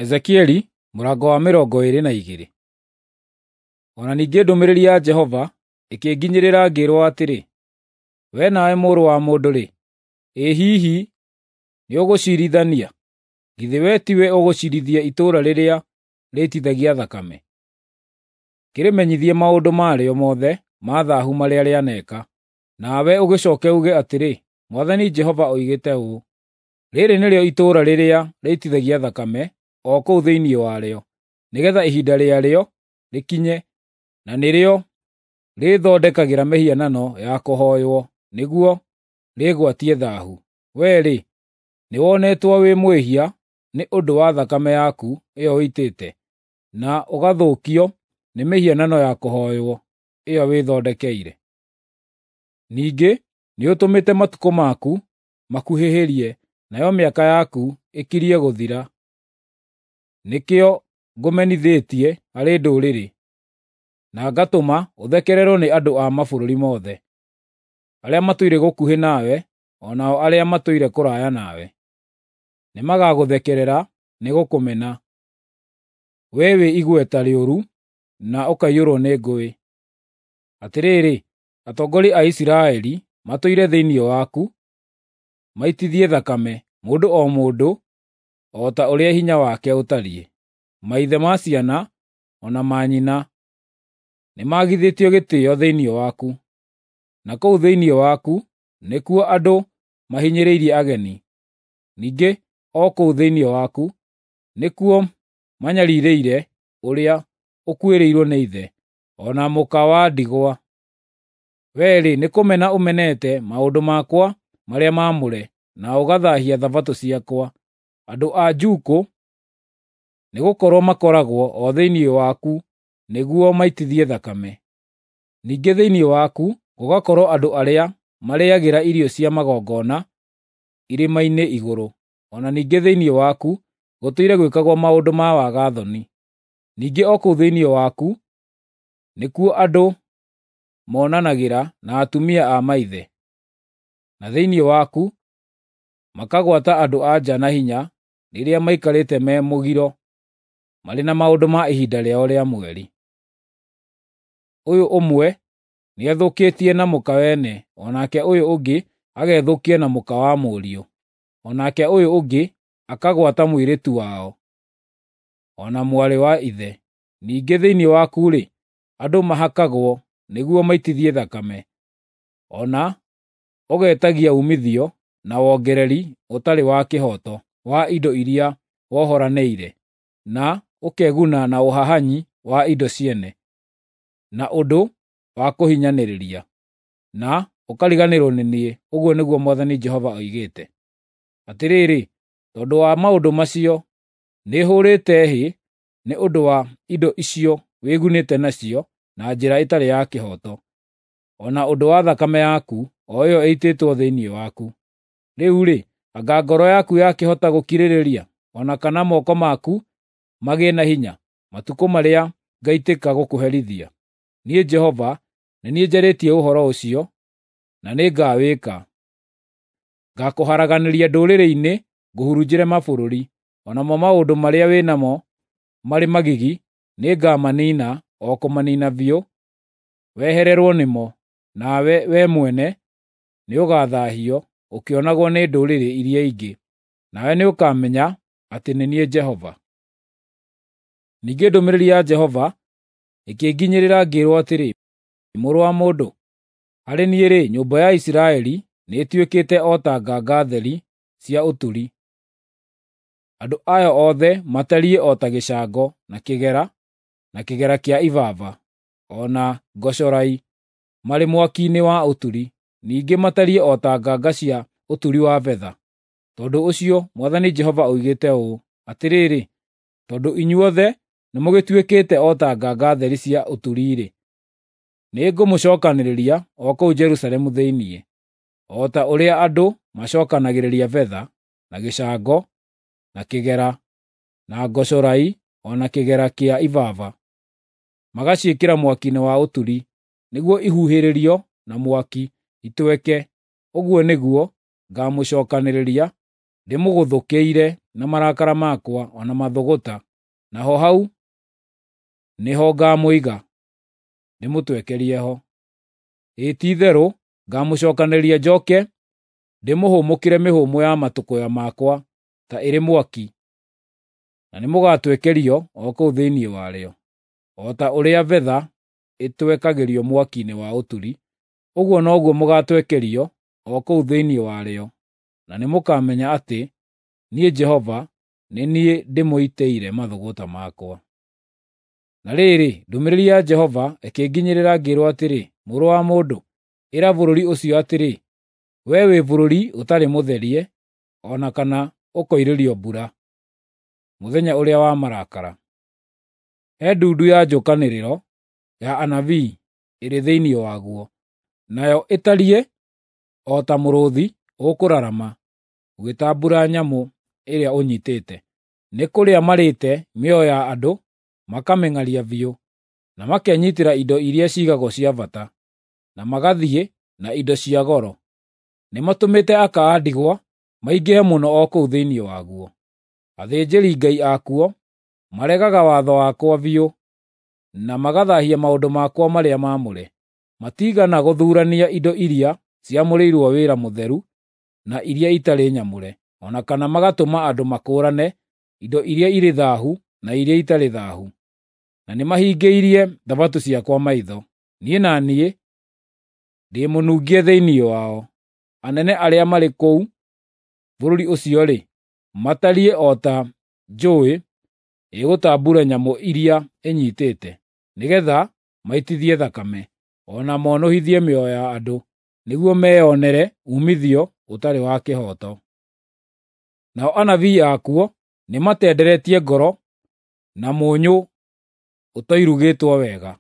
Ezekieli mũrango wa 22. O na ningĩ ndũmĩrĩri ya Jehova ĩkĩnginyĩrĩra ngĩĩrwo atĩrĩ, "Wee nawe mũrũ wa mũndũ-rĩ, ĩ hihi nĩũgũciirithania? Githĩ wee tiwe ũgũciirithia itũũra rĩrĩa rĩitithagia thakame? Kĩrĩmenyithie maũndũ marĩo mothe ma thaahu marĩa rĩaneeka. Nawe ũgĩcooke uuge atĩrĩ, Mwathani Jehova oigĩte ũũ: Rĩĩrĩ nĩrĩo itũũra rĩrĩa rĩitithagia thakame o kũu thĩinĩ warĩo, nĩgeetha ihinda rĩarĩo rĩkinye, na nĩrĩo rĩĩthondekagĩra mĩhianano ya kũhooywo nĩguo rĩĩgwatie thaahu. Wee-rĩ, nĩwonetwo wĩ mwĩhia nĩ ũndũ wa thakame yaku ĩyo ũitĩte, na ũgathũkio nĩ mĩhianano ya kũhooywo ĩyo wĩthondekeire. Ningĩ nĩũtũmĩte matukũ maku makuhĩhĩrie, nayo mĩaka yaku ĩkirie gũthira. Nĩkĩo ngũmenithĩtie harĩ ndũrĩrĩ, na ngatũma ũthekererwo nĩ andũ a mabũrũri mothe, arĩa matũire gũkuhĩ nawe o nao arĩa matũire kũraya nawe. Nĩmagagũthekerera nĩ gũkũmena, wee wĩ igweta rĩũru na ũkaiyũrwo nĩ ngũĩ. Atĩrĩrĩ, atongoria a Isiraeli matũire thĩinĩ waku, maitithie thakame, mũndũ o mũndũ o ta ũrĩa hinya wake ũtariĩ. Maithe ma ciana o na manyina nĩmagithĩtio gĩtĩĩo thĩinĩ waku, na kũu thĩinĩ waku nĩkuo andũ mahinyĩrĩirie ageni. Ningĩ o kũu thĩinĩ waku nĩkuo manyariirĩire ũrĩa ũkuĩrĩirwo nĩ ithe, o na mũka wa ndigwa. Wee-rĩ, nĩkũmena ũmenete maũndũ makwa marĩa maamũre, na ũgathaahia Thabatũ ciakwa. Andũ a njuukũ nĩgũkorwo makoragwo o thĩinĩ waku nĩguo maitithie thakame. Ningĩ thĩinĩ waku gũgakorwo andũ arĩa marĩĩagĩra irio cia magongona irĩma-inĩ igũrũ, o na ningĩ thĩinĩ waku gũtũire gwĩkagwo maũndũ ma waga-thoni. Ningĩ o kũu thĩinĩ waku nĩkuo andũ monanagĩra na atumia a maithe, na thĩinĩ waku makagwata andũ-a-nja na hinya rĩrĩa maikarĩte me mũgiro marĩ na maũndũ ma ihinda rĩao rĩa mweri. Ũyũ ũmwe nĩethũkĩtie na mũka wene, o nake ũyũ ũngĩ agethũkia na mũka wa mũriũ, o nake ũyũ ũngĩ akagwata mũirĩtu wao, o na mwarĩ wa ithe. Ningĩ thĩinĩ waku-rĩ, andũ mahakagwo nĩguo maitithie thakame, o na ũgetagia uumithio na wongereri ũtarĩ wa kĩhooto wa indo iria wohoranĩire, na ũkeguna na ũhahanyi wa indo ciene, na ũndũ wa kũhinyanĩrĩria, na ũkariganĩrwo nĩ niĩ, ũguo nĩguo Mwathani Jehova oigĩte. Atĩrĩrĩ, tondũ wa maũndũ macio, nĩhũũrĩte hĩ nĩ ũndũ wa indo icio wĩgunĩte nacio na njĩra ĩtarĩ ya kĩhooto, o na ũndũ wa thakame yaku, o ĩyo ĩitĩtwo thĩinĩ waku. Rĩu-rĩ, anga ngoro yaku yakĩhota gũkirĩrĩria, o na kana moko maku magĩe na hinya, matukũ marĩa ngaitĩka gũkũherithia? Niĩ Jehova nĩ niĩ njarĩtie ũhoro ũcio, na nĩngawĩka. Ngaakũharaganĩria ndũrĩrĩ-inĩ ngũhurunjĩre mabũrũri, o namo maũndũ marĩa wĩ namo marĩ magigi nĩngamaniina o kũmaniina biũ, wehererwo nĩmo, nawe wee mwene nĩũgathaahio ũkĩonagwo nĩ ndũrĩrĩ iria ingĩ, nawe nĩũkamenya atĩ nĩ niĩ Jehova. Ningĩ ndũmĩrĩri ya Jehova ĩkĩnginyĩrĩra ngĩĩrwo atĩrĩ, "Mũrũ wa mũndũ, harĩ niĩ-rĩ, nyũmba ya Isiraeli nĩĩtuĩkĩte o ta nganga theri cia ũturi. Andũ ayo othe matariĩ o ta gĩcango, na kĩgera, na kĩgera kĩa ibaba, o na ngocorai, marĩ mwaki-inĩ wa ũturi. Ningĩ matariĩ o ta nganga cia ũturi wa betha. Tondũ ũcio Mwathani Jehova oigĩte ũũ: Atĩrĩrĩ, tondũ inyuothe nĩmũgĩtuĩkĩte o ta nganga theri cia ũturi-rĩ, nĩngũmũcookanĩrĩria o kũu Jerusalemu thĩinĩ, o ta ũrĩa andũ macookanagĩrĩria betha, na gĩcango, na kĩgera, na ngocorai, o na kĩgera kĩa ibaba, magaciĩkĩra mwaki-inĩ wa ũturi, nĩguo ihuhĩrĩrio na mwaki itweke. Ũguo nĩguo ngaamũcookanĩrĩria ndĩmũgũthũkĩire na marakara makwa o na mathũgũta, naho hau nĩho ngamũiga, ndĩmũtwekerie ho. Ĩĩ ti-itherũ ngamũcookanĩrĩria njoke ndĩmũhũmũkĩre mĩhũmũ ya matũkũya makwa ta ĩrĩ mwaki, na nĩmũgatwekerio o kũu thĩinĩ warĩo. O ta ũrĩa betha ĩtwekagĩrio mwaki-inĩ wa ũturi, ũguo noguo mũgatwekerio o kũu thĩinĩ warĩo, na nĩmũkamenya atĩ niĩ Jehova nĩ niĩ ndĩmũitĩire mathũgũta makwa. Na rĩrĩ, ndũmĩrĩri ya Jehova ĩkĩnginyĩrĩra ngĩĩrwo atĩrĩ, Mũrũ wa mũndũ, ĩra bũrũri ũcio atĩrĩ, ‘Wee wĩ bũrũri ũtarĩ mũtherie, o na kana ũkoirĩrio mbura, mũthenya ũrĩa wa marakara.’ He ndundu ya njũkanĩrĩro ya anabii ĩrĩ thĩinĩ waguo, nayo ĩtariĩ o ta mũrũũthi ũkũrarama ũgĩtambuura nyamũ ĩrĩa ũnyiitĩte. Nĩ kũrĩa marĩĩte mĩoyo ya andũ makamĩng'aria biũ, na makenyiitĩra indo iria ciigagwo cia bata, na magathiĩ na indo cia goro. Nĩmatũmĩte aka a ndigwa maingĩhe mũno o kũu thĩinĩ waguo. Athĩnjĩri-Ngai akuo maregaga watho wakwa biũ, na magathaahia maũndũ makwa marĩa maamũre. Matiigana gũthuurania indo iria ciamũrĩirwo wĩra mũtheru na iria itarĩ nyamũre, o na kana magatũma andũ makũũrane indo iria irĩ thaahu na iria itarĩ thaahu. Na nĩmahingĩirie Thabatũ ciakwa maitho. Niĩ na niĩ ndĩ mũnungie thĩinĩ wao. Anene arĩa marĩ kũu bũrũri ũcio-rĩ, matariĩ o ta njũũĩ ĩgũtambuura nyamũ iria ĩnyiitĩte, nĩgeetha maitithie thakame, o na monũhithie mĩoyo ya andũ, nĩguo meyonere uumithio ũtarĩ wa kĩhooto. Nao anabii akuo nĩmatenderetie ngoro na mũnyũ ũtoirugĩtwo wega,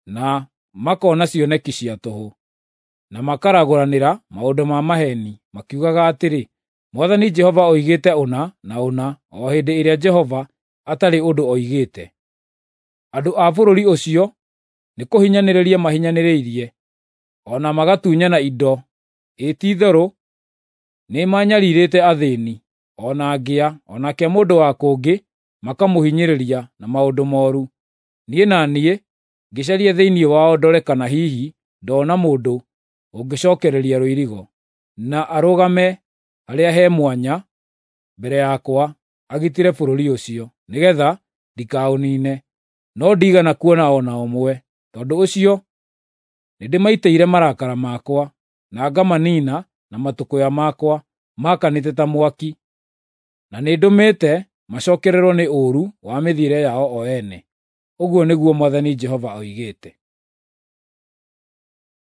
na makona cioneki cia tũhũ, na makaragũranĩra maũndũ ma maheeni, makiugaga atĩrĩ, ‘Mwathani Jehova oigĩte ũna na ũna,’ o hĩndĩ ĩrĩa Jehova atarĩ ũndũ oigĩte. Andũ a bũrũri ũcio nĩkũhinyanĩrĩria mahinyanĩrĩirie, o na magatunyana indo. Ĩĩ ti-itherũ nĩmanyariirĩte athĩĩni, o na ngĩa, o nake mũndũ wa kũngĩ makamũhinyĩrĩria na maũndũ mooru. Niĩ na niĩ ngĩcaria thĩinĩ wao ndore kana hihi ndoona mũndũ ũngĩcookereria rũirigo, na arũgame harĩa he mwanya mbere yakwa agitĩre bũrũri ũcio, nĩgeetha ndikaũniine, no ndiigana kuona o na ũmwe. Tondũ ũcio nĩndĩmaitĩire marakara makwa, na ngamaniina na matũkũya makwa maakanĩte ta mwaki, na nĩndũmĩte macookererwo nĩ ũũru wa mĩthiĩre yao o ene. Ũguo nĩguo Mwathani Jehova oigĩte.